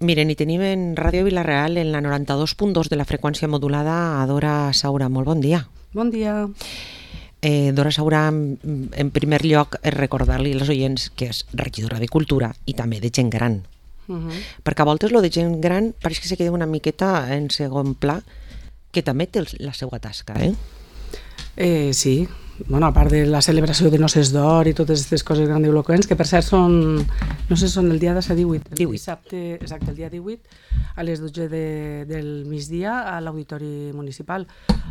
Miren, i tenim en Ràdio Vila-real en la 92.2 de la freqüència modulada a Dora Saura. Molt bon dia. Bon dia. Dora Saura, en primer lloc, recordar-li als oients que és regidora de Cultura i també de gent gran. Perquè a voltes lo de gent gran pareix que se queda una miqueta en segon pla, que també té la seva tasca, Sí, bueno, a part de la celebració de Noces d'Or i totes aquestes coses grandiloquents, que per cert són, no sé, són el dia de ser 18, el dissabte, exacte, el dia 18, a les 12 del migdia a l'Auditori Municipal.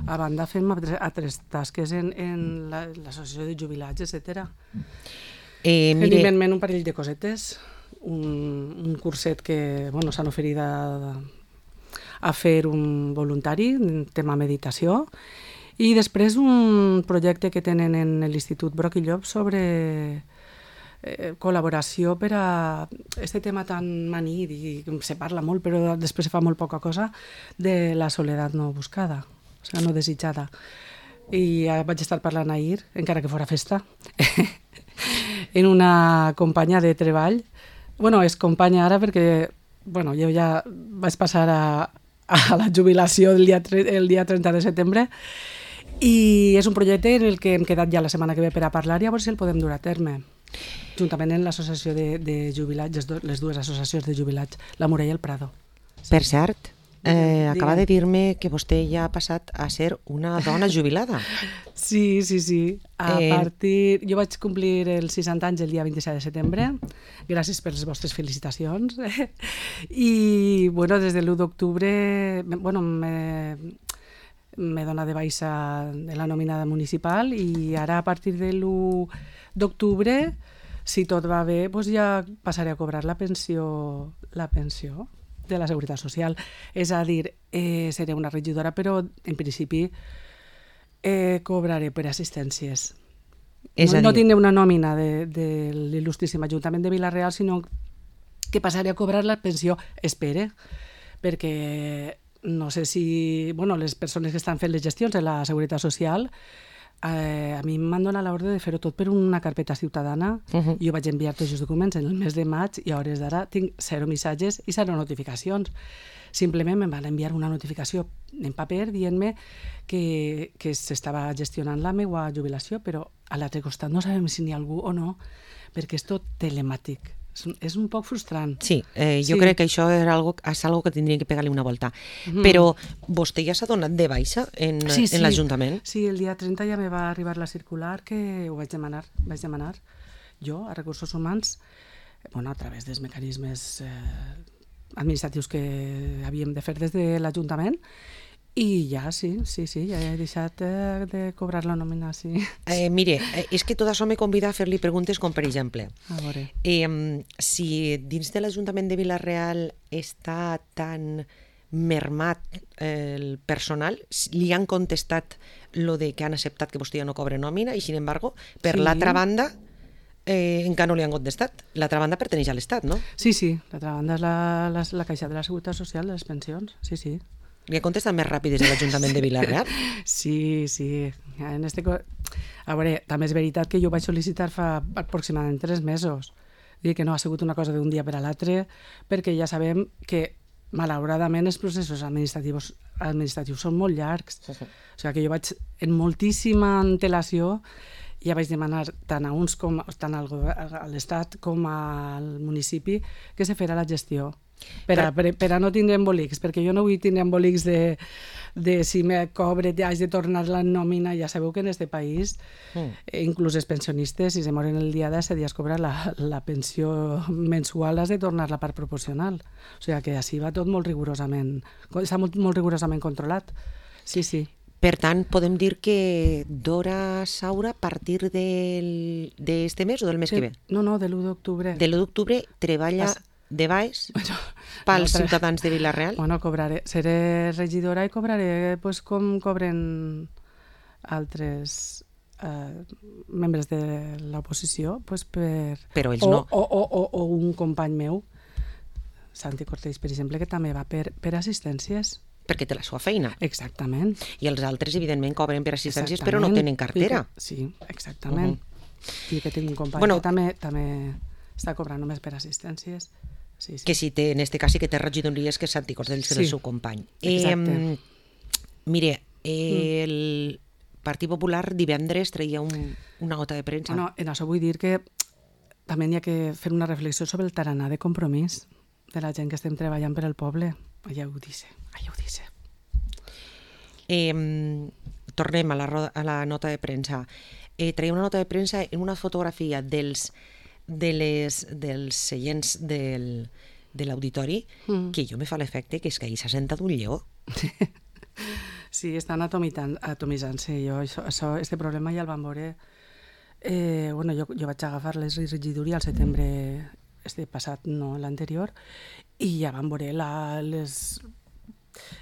A banda fem altres tasques en l'associació de jubilats, etc. Evidentment un parell de cosetes, un curset que s'han oferit a fer un voluntari, tema meditació, i després un projecte que tenen en l'Institut Broc i Llop sobre col·laboració per a aquest tema tan manit i se parla molt però després se fa molt poca cosa de la soledat no buscada, o sigui, no desitjada. I ja vaig estar parlant ahir, encara que fora festa, en una companya de treball. És companya ara perquè jo ja vaig passar a la jubilació el dia 30 de setembre i és un projecte en el que hem quedat ja la setmana que ve per a parlar i a veure si el podem dur a terme, juntament amb l'associació de jubilats, les dues associacions de jubilats, la Morella i el Prado. Per cert, acaba de dir-me que vostè ja ha passat a ser una dona jubilada. Sí. Jo vaig complir els 60 anys el dia 27 de setembre, gràcies per les vostres felicitacions. I, des de l'1 d'octubre, m'he donat de baixa de la nòmina municipal i ara a partir de l'1 d'octubre, si tot va bé, ja passaré a cobrar la pensió de la Seguretat Social. És a dir, seré una regidora, però en principi cobraré per assistències. No tindré una nòmina de l'il·lustríssim Ajuntament de Vila-real, sinó que passaré a cobrar la pensió, espere, perquè no sé si les persones que estan fent les gestions de la Seguretat Social a mi m'han donat l'ordre de fer-ho tot per una carpeta ciutadana. Jo vaig enviar tots els documents en el mes de maig i a hores d'ara tinc 0 missatges i 0 notificacions. Simplement em van enviar una notificació en paper dient-me que s'estava gestionant la meva jubilació, però a l'altre costat no sabem si n'hi ha algú o no, perquè és tot telemàtic. És un poc frustrant. Sí, jo crec que això és algo que tindríem que pegar-li una volta. Però vostè ja s'ha donat de baixa en l'Ajuntament? Sí, el dia 30 ja me va arribar la circular que ho vaig demanar jo a Recursos Humans, a través dels mecanismes administratius que havíem de fer des de l'Ajuntament. I ja, sí, ja he deixat de cobrar la nòmina, sí. Mire, és que tot això me convida a fer-li preguntes com, per exemple, a veure, si dins de l'Ajuntament de Vila-real està tan mermat el personal, li han contestat lo de que han acceptat que vostè ja no cobre nòmina i, sin embargo, per l'altra banda, encara no li han contestat. L'altra banda perteneix a l'Estat, no? Sí, l'altra banda és la Caixa de la Seguretat Social de les pensions, sí. Li ha contestat més ràpid des de l'Ajuntament de Vila-real? Sí. A veure, també és veritat que jo vaig sol·licitar fa aproximadament 3 mesos. Dir que no ha sigut una cosa d'un dia per a l'altre, perquè ja sabem que, malauradament, els processos administratius són molt llargs. O sigui que jo vaig, en moltíssima antelació, ja vaig demanar tant a l'Estat com al municipi que se fera la gestió. Per a no tindre embolics, perquè jo no vull tindre embolics de si me cobre haig de tornar la nòmina. Ja sabeu que en aquest país inclús els pensionistes, si se moren el dia 10 has cobrar la pensió mensual, has de tornar la part proporcional. O sigui que així va tot molt rigorosament, està molt rigorosament controlat. Sí. Per tant, podem dir que Dora Saura, a partir d'este mes o del mes que ve? No, de l'1 d'octubre. De l'1 d'octubre treballa de baix pels ciutadans de Vila-real? Seré regidora i cobraré com cobren altres membres de l'oposició, però ells no. O un company meu, Santi Cortells, per exemple, que també va per assistències. Perquè té la seva feina. Exactament. I els altres, evidentment, cobren per assistències, però no tenen cartera. Sí, exactament. I que tinc un company que també està cobrant només per assistències. Sí. Que si té, en este cas sí que té regidories que és Santicós del seu company. Exacte. Mire, el Partit Popular divendres treia una nota de premsa. Bueno, en això vull dir que també hi ha que fer una reflexió sobre el tarannà de compromís de la gent que estem treballant per al poble. Allà ho dice. Tornem a la nota de premsa. Treia una nota de premsa en una fotografia dels seients de l'auditori que jo me fa l'efecte que és que ahir s'ha sentat un lleó. Sí, estan atomitzant-se. Este problema ja el vam veure. Jo vaig agafar les regidories al setembre passat, no l'anterior, i ja vam veure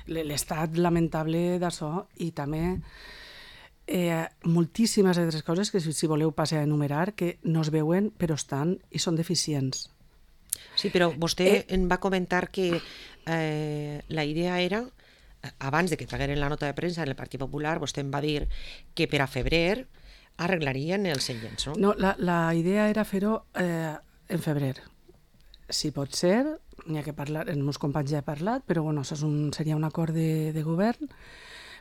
l'estat lamentable d'això, i també moltíssimes altres coses que si voleu passar a enumerar que no es veuen però estan i són deficients. Sí, però vostè em va comentar que la idea era, abans de que tragueren la nota de premsa en el Partit Popular, vostè em va dir que per a febrer arreglarien els seients, no? No, la idea era fer-ho en febrer. Si pot ser, n'hi ha que parlar, els meus companys ja he parlat, però bueno, això seria un acord de govern,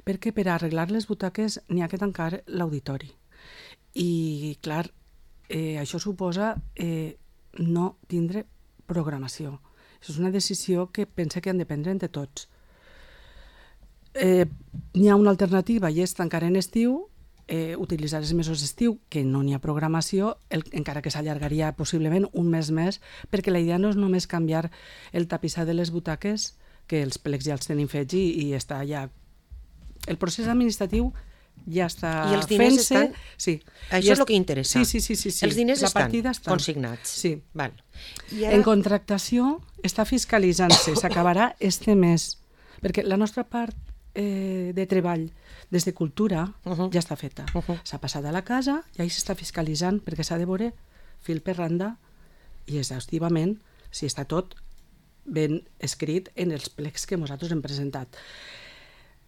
perquè per arreglar les butaques n'hi ha que tancar l'auditori. I, clar, això suposa no tindre programació. Això és una decisió que pense que han de prendre entre tots. N'hi ha una alternativa i és tancar en estiu, utilitzar els mesos d'estiu, que no n'hi ha programació, encara que s'allargaria possiblement un mes més, perquè la idea no és només canviar el tapissat de les butaques, que els plecs ja els tenim fets i està ja... El procés administratiu ja està fent-se. I els diners estan... Sí. Això és el que interessa. Sí. Els diners estan consignats. Sí. Val. En contractació està fiscalitzant-se, s'acabarà este mes, perquè la nostra part de treball des de cultura ja està feta. S'ha passat a la casa i ahí s'està fiscalitzant perquè s'ha de veure fil per randa i exhaustivament si està tot ben escrit en els plecs que nosaltres hem presentat.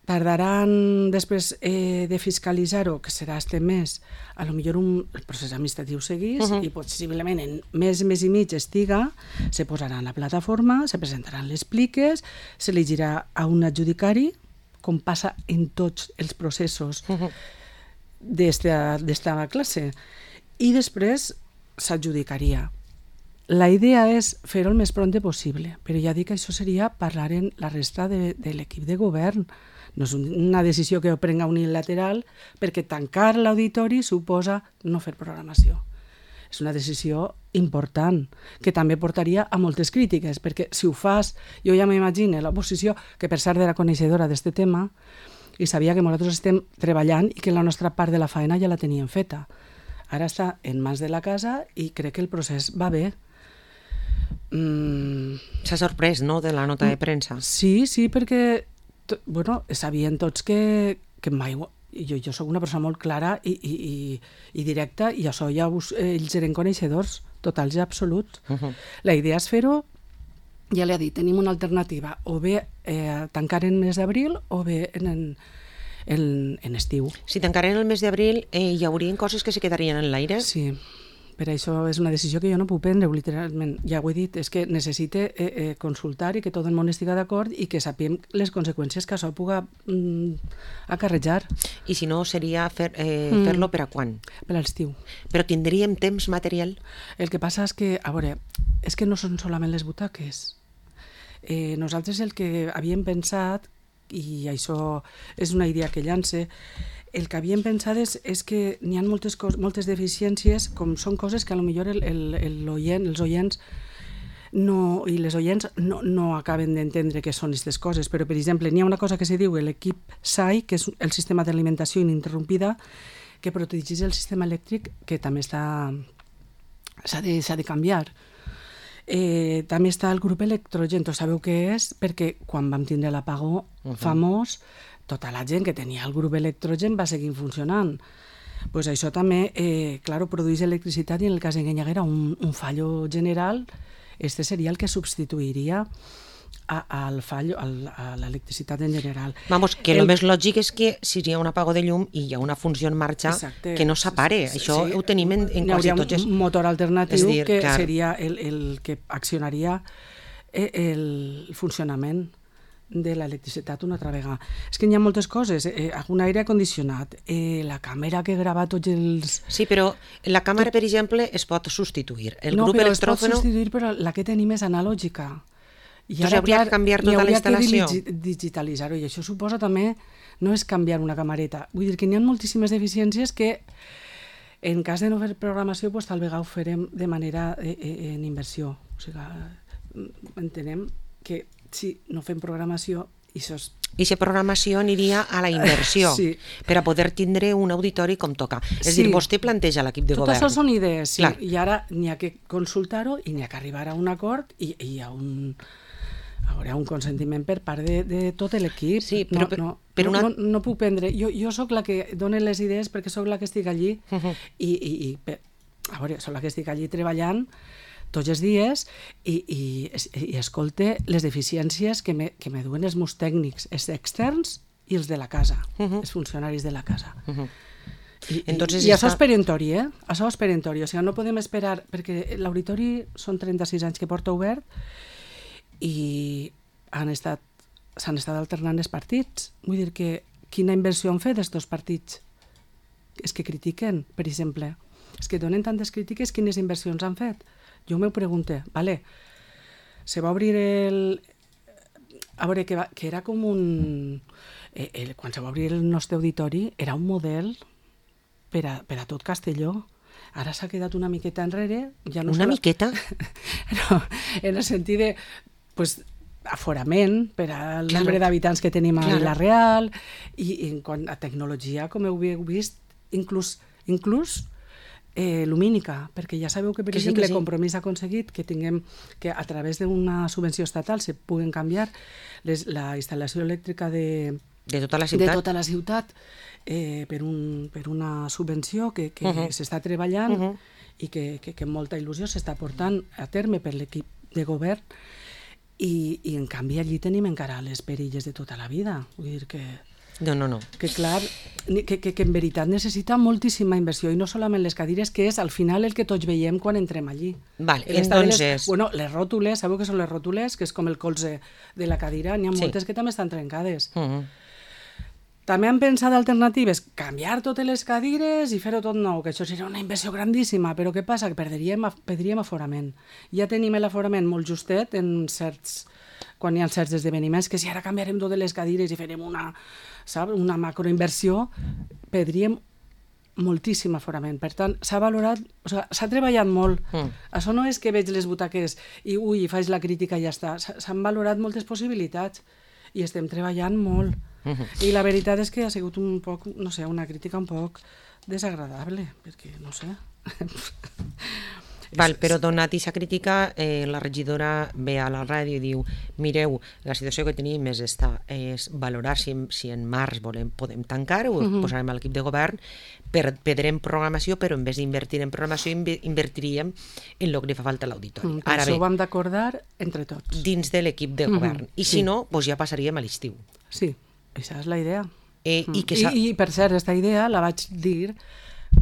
Tardaran després de fiscalitzar-ho, que serà este mes, a lo millor el procés administratiu seguís i possiblement en mes i mig estiga, se posarà en la plataforma, se presentaran les pliques, se elegirà a un adjudicari, com passa en tots els processos d'esta classe, i després s'adjudicaria. La idea és fer-ho el més pront possible, però ja dic que això seria parlar en la resta de l'equip de govern. No és una decisió que ho prenga unilateral, perquè tancar l'auditori suposa no fer programació. És una decisió important, que també portaria a moltes crítiques, perquè si ho fas, jo ja m'imagino l'oposició, que per cert era coneixedora d'aquest tema, i sabia que nosaltres estem treballant i que la nostra part de la faena ja la teníem feta. Ara està en mans de la casa i crec que el procés va bé. S'ha sorprès, no?, de la nota de premsa. Sí, perquè sabien tots que mai... Jo soc una persona molt clara i directa, i això ja ells eren coneixedors totals i absoluts. La idea és fer-ho, ja l'he dit, tenim una alternativa, o bé tancar en mes d'abril o bé en estiu. Si tancaren el mes d'abril, hi haurien coses que se quedarien en l'aire? Sí. Per això és una decisió que jo no puc prendre, literalment. Ja ho he dit, és que necessite consultar i que tot el món estigui d'acord i que sapiem les conseqüències que això puga acarrejar. I si no, seria fer-lo per a quan? Per a l'estiu. Però tindríem temps material? El que passa és que, a veure, és que no són solament les butaques. Nosaltres el que havíem pensat, i això és una idea que llance, el que havíem pensat és que n'hi ha moltes deficiències, com són coses que potser els oients i les oients no acaben d'entendre què són aquestes coses, però per exemple n'hi ha una cosa que se diu l'equip SAI, que és el sistema d'alimentació ininterrompida, que protegeix el sistema elèctric, que també s'ha de canviar. També està el grup electrogen, sabeu què és? Perquè quan vam tindre l'apagó famós, tota la gent que tenia el grup electrogen va seguir funcionant. Pues això també, produeix electricitat, i en el cas en què hi haguera un fallo general, este seria el que substituiria al fallo, a l'electricitat en general. Vamos, que el més lògic és que si hi ha un apagó de llum i hi ha una funció en marxa, que no s'apare. Això ho tenim en quasi tots. Hi hauria un motor alternatiu que seria el que accionaria el funcionament de l'electricitat una altra vegada. És que hi ha moltes coses, un aire condicionat, la càmera que grava tots els... Sí, però la càmera, per exemple, es pot substituir. El no, grup però electròfono... es pot substituir, però la que tenim és analògica. I doncs hauria que canviar tota la instal·lació. Hauria que digitalitzar-ho, i això suposa també, no és canviar una camareta. Vull dir que hi ha moltíssimes deficiències que, en cas de no fer programació, pues, tal vegada ho farem de manera en inversió. O sigui, entenem que si no fem programació, això és... I aquesta programació aniria a la inversió, sí, per a poder tindre un auditori com toca. És sí, dir, vostè planteja l'equip de govern. Tot això són idees, sí, clar, i ara n'hi ha que consultar-ho i n'hi ha que arribar a un acord i hi ha un consentiment per part de tot l'equip. Sí, però no puc prendre... Jo sóc la que dona les idees perquè sóc la que estic allí i a veure, sóc la que estic allí treballant tots els dies i escolte les deficiències que me duen els meus tècnics, els externs i els de la casa, els funcionaris de la casa. I això és perentori, Això és perentori, o sigui, no podem esperar, perquè l'auditori són 36 anys que porta obert i s'han estat alternant els partits. Vull dir que quina inversió han fet aquests partits? És que critiquen, per exemple. És que donen tantes crítiques, quines inversions han fet? Jo m'ho pregunto, vale, se va obrir a veure, que era com un... quan se va obrir el nostre auditori, era un model per a tot Castelló. Ara s'ha quedat una miqueta enrere. Ja no una miqueta? No, en el sentit de... Pues, aforament per al nombre d'habitants que tenim a Vila-real i en quant a tecnologia, com heu vist, inclús lumínica, perquè ja sabeu que, per exemple, Compromís ha aconseguit que tinguem que a través d'una subvenció estatal se puguen canviar la instal·lació elèctrica de tota la ciutat per una subvenció que s'està treballant i que amb molta il·lusió s'està portant a terme per l'equip de govern i en canvi allí tenim encara les perilles de tota la vida. Vull dir que... No. Que clar, que en veritat necessita moltíssima inversió i no solament les cadires, que és al final el que tots veiem quan entrem allí. Vale, entonces... Les ròtules, sabeu què són les ròtules? Que és com el colze de la cadira, n'hi ha moltes que també estan trencades. També han pensat alternatives, canviar totes les cadires i fer-ho tot nou, que això seria una inversió grandíssima, però què passa? Que perdríem aforament. Ja tenim l'aforament molt justet quan hi ha certs esdeveniments, que si ara canviarem totes les cadires i farem una macroinversió, perdríem moltíssim aforament. Per tant, s'ha valorat, s'ha treballat molt. Això no és que veig les butaques i faig la crítica i ja està. S'han valorat moltes possibilitats i estem treballant molt. I la veritat és que ha sigut un poc, no sé, una crítica un poc desagradable, perquè, no sé... Val, però donat aquesta crítica, la regidora ve a la ràdio i diu: mireu, la situació que tenim és valorar si en març podem tancar, ho posarem a l'equip de govern, perdrem programació, però en vez d'invertir en programació invertiríem en el que li fa falta a l'auditori. Ara bé, això ho hem d'acordar entre tots. Dins de l'equip de govern. I si no, ja passaríem a l'estiu. Sí, aquesta és la idea. I per cert, aquesta idea la vaig dir...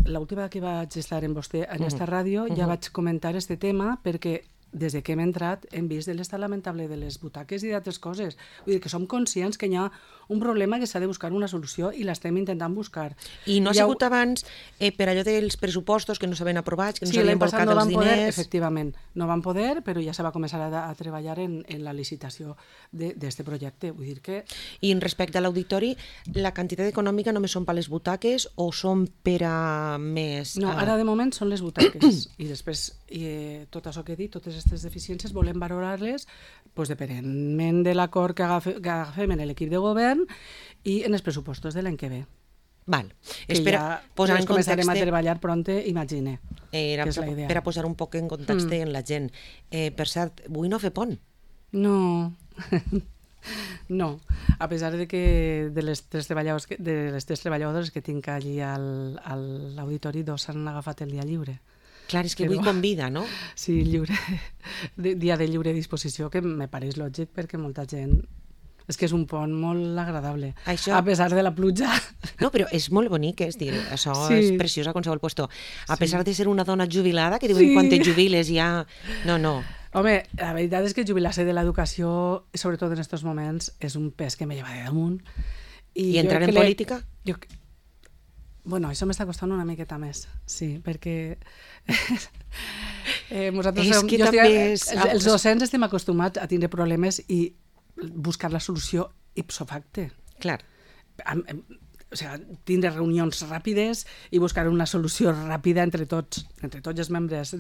L'última que vaig estar amb vostè en esta ràdio ja vaig comentar este tema perquè des de que hem entrat hem vist l'estat lamentable de les butaques i d'altres coses. Vull dir que som conscients que hi ha un problema que s'ha de buscar una solució i l'estem intentant buscar. I no ha sigut abans per allò dels pressupostos que no s'havien aprovat, que no s'havien volcat els diners... Efectivament, no van poder, però ja se va començar a treballar en la licitació d'aquest projecte. Vull dir que... I respecte a l'auditori, la quantitat econòmica només són per les butaques o són per a més... No, ara de moment són les butaques i després tot això que he dit, totes aquestes deficiències volem valorar-les depenent de l'acord que agafem en l'equip de govern i en els pressupostos de l'any que ve. Val. Que ja començarem a treballar pronte, imagine. Era per a posar un poc en context en la gent. Per cert, vull no fer pont? No. No, a pesar de que de les tres treballadores que tinc allí a l'auditori, 2 s'han agafat el dia lliure. Clar, és que avui convida, no? Sí, dia de lliure disposició, que me pareix lògic perquè molta gent... És que és un pont molt agradable, a pesar de la pluja. No, però és molt bonic, és dir, això és preciós a qualsevol puesto. A pesar de ser una dona jubilada, que diuen quan te jubiles ja... No. Home, la veritat és que jubilar-se de l'educació, sobretot en aquests moments, és un pes que me lleva de damunt. I entrar en política? Bueno, això m'està costant una miqueta més, sí, perquè els docents estem acostumats a tindre problemes i buscar la solució ipso facto. Clar. O sigui, tindre reunions ràpides i buscar una solució ràpida entre tots els membres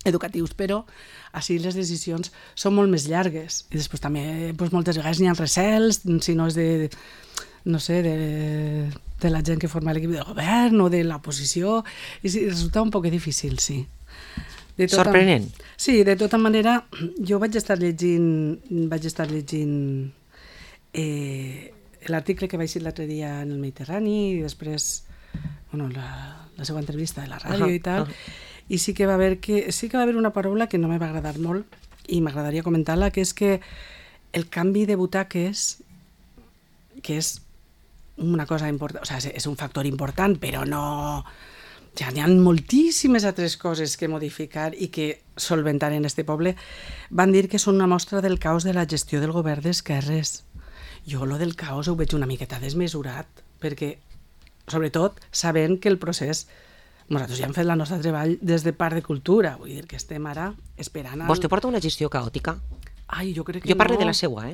educatius, però així les decisions són molt més llargues. I després també moltes vegades n'hi ha recels, si no és de la gent que forma l'equip de govern o de l'oposició, i resulta un poc difícil, sí. Sorprenent. Sí, de tota manera, jo vaig estar llegint l'article que vaig dir l'altre dia en el Mediterrani i després la seva entrevista de la ràdio i tal, i sí que va haver una paraula que no me va agradar molt i m'agradaria comentar-la, que és que el canvi de butaques, que és una cosa important, o sigui, és un factor important, però no... Ja n'hi ha moltíssimes altres coses que modificar i que solventar en este poble. Van dir que són una mostra del caos de la gestió del govern d'esquerres. Jo lo del caos ho veig una miqueta desmesurat, perquè, sobretot, sabent que el procés... Nosaltres ja hem fet la nostra treball des de part de cultura, vull dir que estem ara esperant... Vostè porta una gestió caòtica? Ai, jo crec que jo parlo de la seua,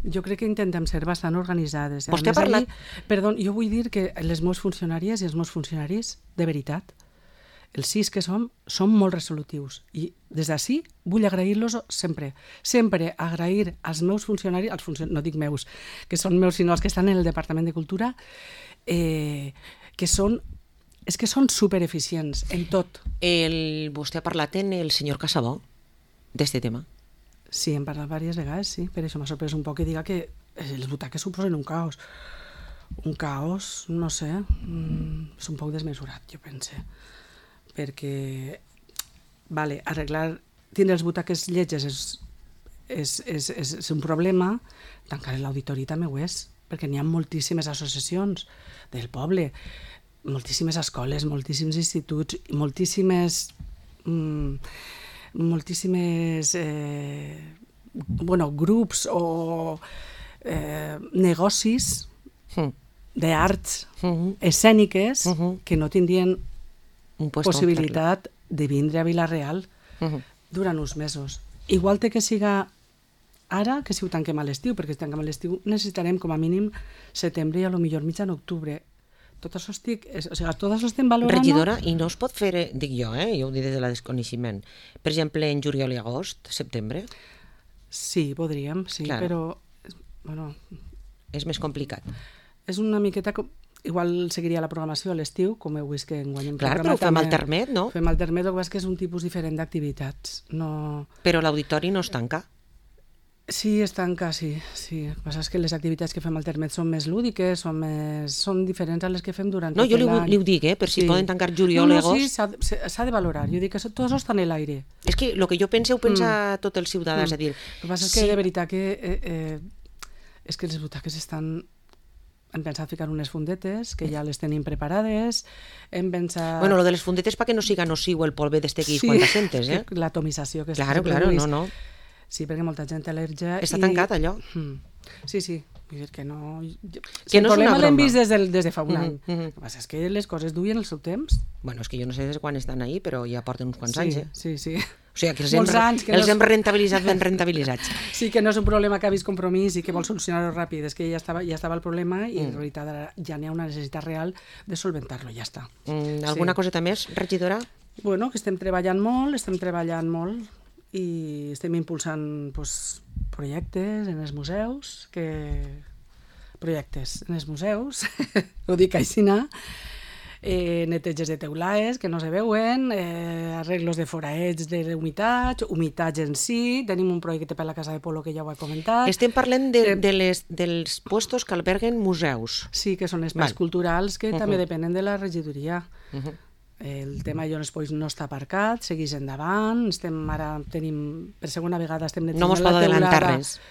Jo crec que intentem ser bastant organitzades. Vostè ha parlat... Perdó, jo vull dir que les meus funcionàries i els meus funcionaris, de veritat, els 6 que som molt resolutius. I des d'ací vull agrair-los sempre. Sempre agrair als meus funcionaris, no dic meus, que són meus, sinó els que estan en el Departament de Cultura, que són supereficients en tot. Vostè ha parlat en el senyor Casabó d'este tema? Sí, hem parlat diverses vegades, sí. Per això m'ha sorprès un poc que diga que les butaques suposen un caos. Un caos, no sé, és un poc desmesurat, jo pense. Perquè, tindre les butaques lletges és un problema, tancar l'auditori també ho és, perquè n'hi ha moltíssimes associacions del poble, moltíssimes escoles, moltíssims instituts, moltíssimes grups o negocis d'arts escèniques que no tindrien possibilitat de vindre a Vila-real durant uns mesos. Igual té que siga ara que si ho tanquem a l'estiu, perquè si tanquem a l'estiu necessitarem com a mínim setembre i a lo millor mitjan octubre. Tot això tot això estem valorant... Regidora, i no es pot fer, dic jo, jo ho dic des de la desconeixement, per exemple, en juliol i agost, setembre? Sí, podríem, sí, clar. Però... És més complicat. És una miqueta... Igual seguiria la programació a l'estiu, com heu vist que enguany hem programat. Clar, però ho fem alternet, no? Fem alternet, el que passa és que és un tipus diferent d'activitats. Però l'auditori no es tanca? Sí, es tanca, sí. El que passa és que les activitats que fem alternet són més lúdiques, són diferents a les que fem durant tot l'any. No, jo li ho dic, per si poden tancar juliol i agost. Sí, s'ha de valorar. Jo dic que tot això està en l'aire. És que el que jo penso ho pensa tot el ciutadà, és a dir... El que passa és que de veritat que és que les butaques estan... Hem pensat ficar unes fundetes, que ja les tenim preparades, hem pensat... Bueno, lo de les fundetes perquè no siga nociu el polve d'estequis quan t'assentes, l'atomització que claro, no. Sí, perquè molta gent té al·lèrgia... Està tancat, allò? Sí. Vull dir que no... Que no és una broma. El problema l'hem vist des de fa un any. El que passa és que les coses duien el seu temps. Bueno, és que jo no sé des de quan estan ahí, però ja porten uns quants anys, Sí. O sigui, que els hem rentabilitzat ben rentabilitzats. Sí, que no és un problema que ha vist Compromís i que vol solucionar-ho ràpid, és que ja estava el problema i en realitat ja n'hi ha una necessitat real de solventar-lo, ja està. Alguna coseta més, regidora? Bueno, que estem treballant molt i estem impulsant projectes en els museus, ho dic així, neteges de teulaes que no se veuen, arreglos de foraets de humitats, humitats en si, tenim un projecte per la Casa de Polo que ja ho he comentat. Estem parlant dels puestos que alberguen museus. Sí, que són espais culturals que també depenen de la regidoria. El tema Jones Pois no està aparcat, segueix endavant, per segona vegada estem no mos pot adelantar res.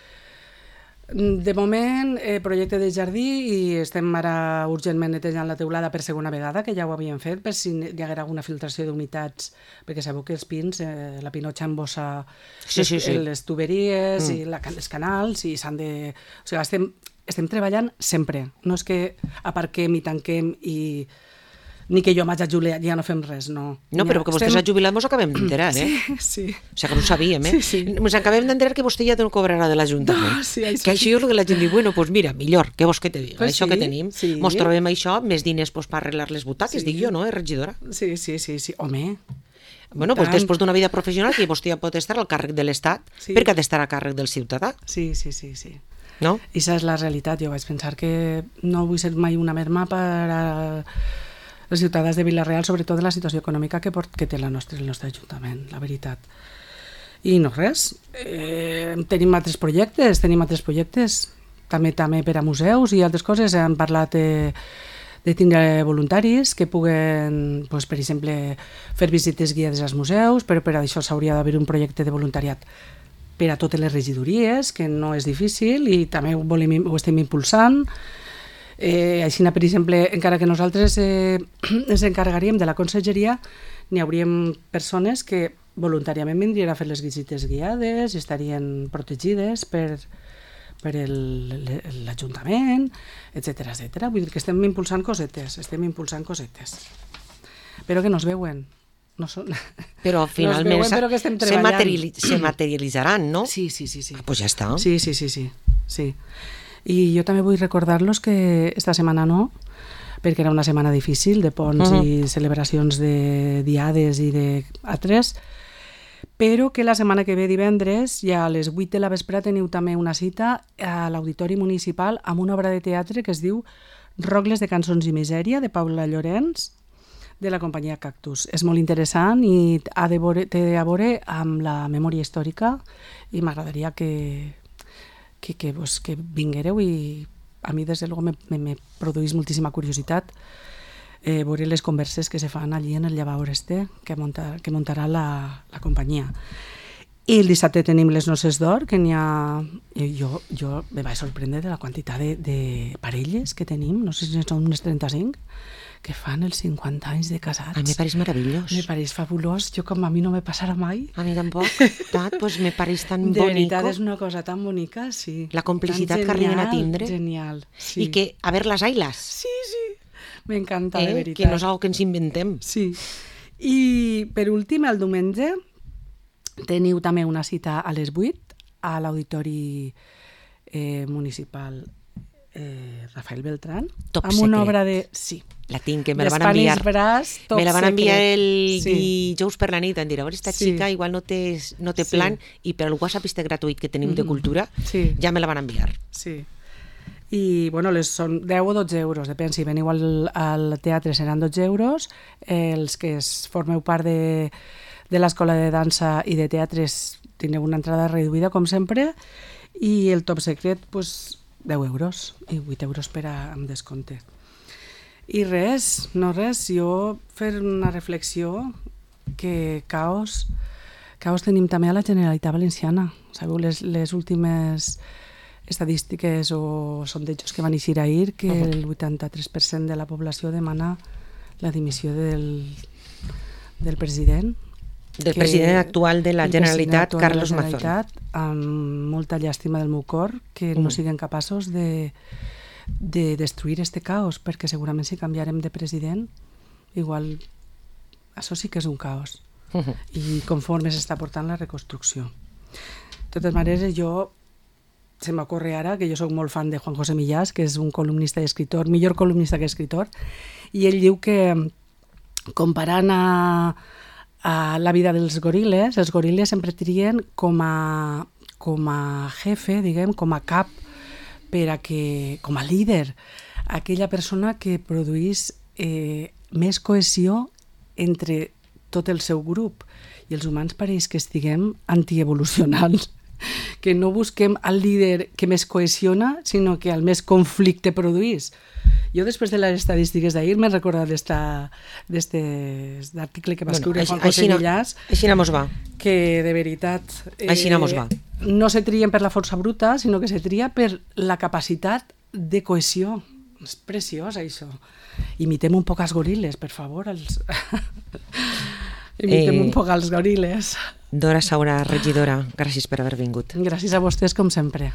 De moment, projecte de jardí i estem ara urgentment netejant la teulada per segona vegada, que ja ho havíem fet, per si hi haguera alguna filtració d'humitats, perquè sabeu que els pins, la pinotxa embossa les tuberies i els canals i s'han de... O sigui, estem treballant sempre. No és que aparquem i tanquem i... ni que jo m'haig jubilat, ja no fem res, no. No, però que vostè s'ha jubilat mos acabem d'enterar, Sí. O sigui que no ho sabíem, Mos acabem d'enterar que vostè ja no cobrarà de l'Ajuntament. Que això és el que la gent diu, bueno, doncs mira, millor, què vols que te diga? Això que tenim, mos trobem això, més diners per arreglar les butaques, dic jo, no, regidora? Sí, home. Bueno, doncs després d'una vida professional que vostè ja pot estar al càrrec de l'Estat, perquè ha d'estar a càrrec del ciutadà. Sí. No? I això és la realitat, jo vaig pensar que no vull ser mai una merma per a els ciutadans de Vila-real, sobretot de la situació econòmica que té el nostre Ajuntament, la veritat. I no res, tenim altres projectes, també per a museus i altres coses. Hem parlat de tindre voluntaris que puguen, per exemple, fer visites guiades als museus, però per això s'hauria d'haver un projecte de voluntariat per a totes les regidories, que no és difícil i també ho estem impulsant. Així, per exemple, encara que nosaltres ens encarregaríem de la conselleria, n'hi hauríem persones que voluntàriament vindrien a fer les visites guiades i estarien protegides per l'Ajuntament, etcètera. Vull dir que estem impulsant cosetes, però que no es veuen. Però finalment se materialitzaran, no? Sí. Pues ja està. Sí. I jo també vull recordar-los que esta setmana no, perquè era una setmana difícil de ponts i celebracions de diades i d'altres, però que la setmana que ve, divendres, ja a les 8 de la vesprada teniu també una cita a l'Auditori Municipal amb una obra de teatre que es diu Rogles de cançons i misèria, de Paula Llorenç, de la companyia Cactus. És molt interessant i té a veure amb la memòria històrica i m'agradaria que vinguereu i a mi des de luego me produeix moltíssima curiositat veure les converses que se fan allí en el llavaor que muntarà la companyia. I el dissabte tenim les noces d'or, que n'hi ha... Jo me vaig sorprendre de la quantitat de parelles que tenim, no sé si són unes 35, que fan els 50 anys de casats. A mi me pareix meravellós. Me pareix fabulós. Jo, com a mi no me passarà mai. A mi tampoc. Pues me pareix tan bonico. De veritat, és una cosa tan bonica, sí. La complicitat que arriben a tindre. Genial, sí. I que, a ver las ailas. Sí. M'encanta, de veritat. Que no és algo que ens inventem. Sí. I, per últim, el diumenge, teniu també una cita a les 8 a l'Auditori Municipal Rafael Beltrán. Top amb secret. Una obra de... Sí. La tinc, que me la van enviar. Me la van enviar el dijous per la nit. Em dir, a veure, esta xica igual no té plan i per el WhatsApp este gratuït que tenim de cultura ja me la van enviar. Sí. I, bueno, són 10 o 12 euros, depèn, si veniu al teatre seran 12 euros, els que formeu part de l'escola de dansa i de teatres tindreu una entrada reduïda, com sempre, i el top secret, 10 euros, i 8 euros amb descompte. I res, jo fer una reflexió que caos tenim també a la Generalitat Valenciana. Sabeu, les últimes estadístiques o sondejos que van eixir ahir, que el 83% de la població demana la dimissió del president. Del president actual de la Generalitat, Carlos Mazón. Amb molta llàstima del meu cor, que no siguin capaços de destruir este caos, perquè segurament si canviarem de president, igual això sí que és un caos. I conforme s'està portant la reconstrucció. De totes maneres, se m'ocorre ara que jo soc molt fan de Juan José Millás, que és un columnista i escritor, millor columnista que escritor, i ell diu que, comparant a la vida dels goril·les, els goril·les sempre trien com a jefe, diguem, com a cap, com a líder, aquella persona que produís més cohesió entre tot el seu grup. I els humans pareix que estiguem antievolucionals. que no busquem el líder que més cohesiona, sinó que el més conflicte produís. Jo, després de les estadístiques d'ahir, m'he recordat d'article que va escriure Juan José Millás. Així no mos va. Que, de veritat, així no mos va. No se trien per la força bruta, sinó que se tria per la capacitat de cohesió. És preciós, això. Imitem un poc els goril·les, per favor. Imitem un poc els goril·les. Dora Saura, regidora, gràcies per haver vingut. Gràcies a vostès, com sempre.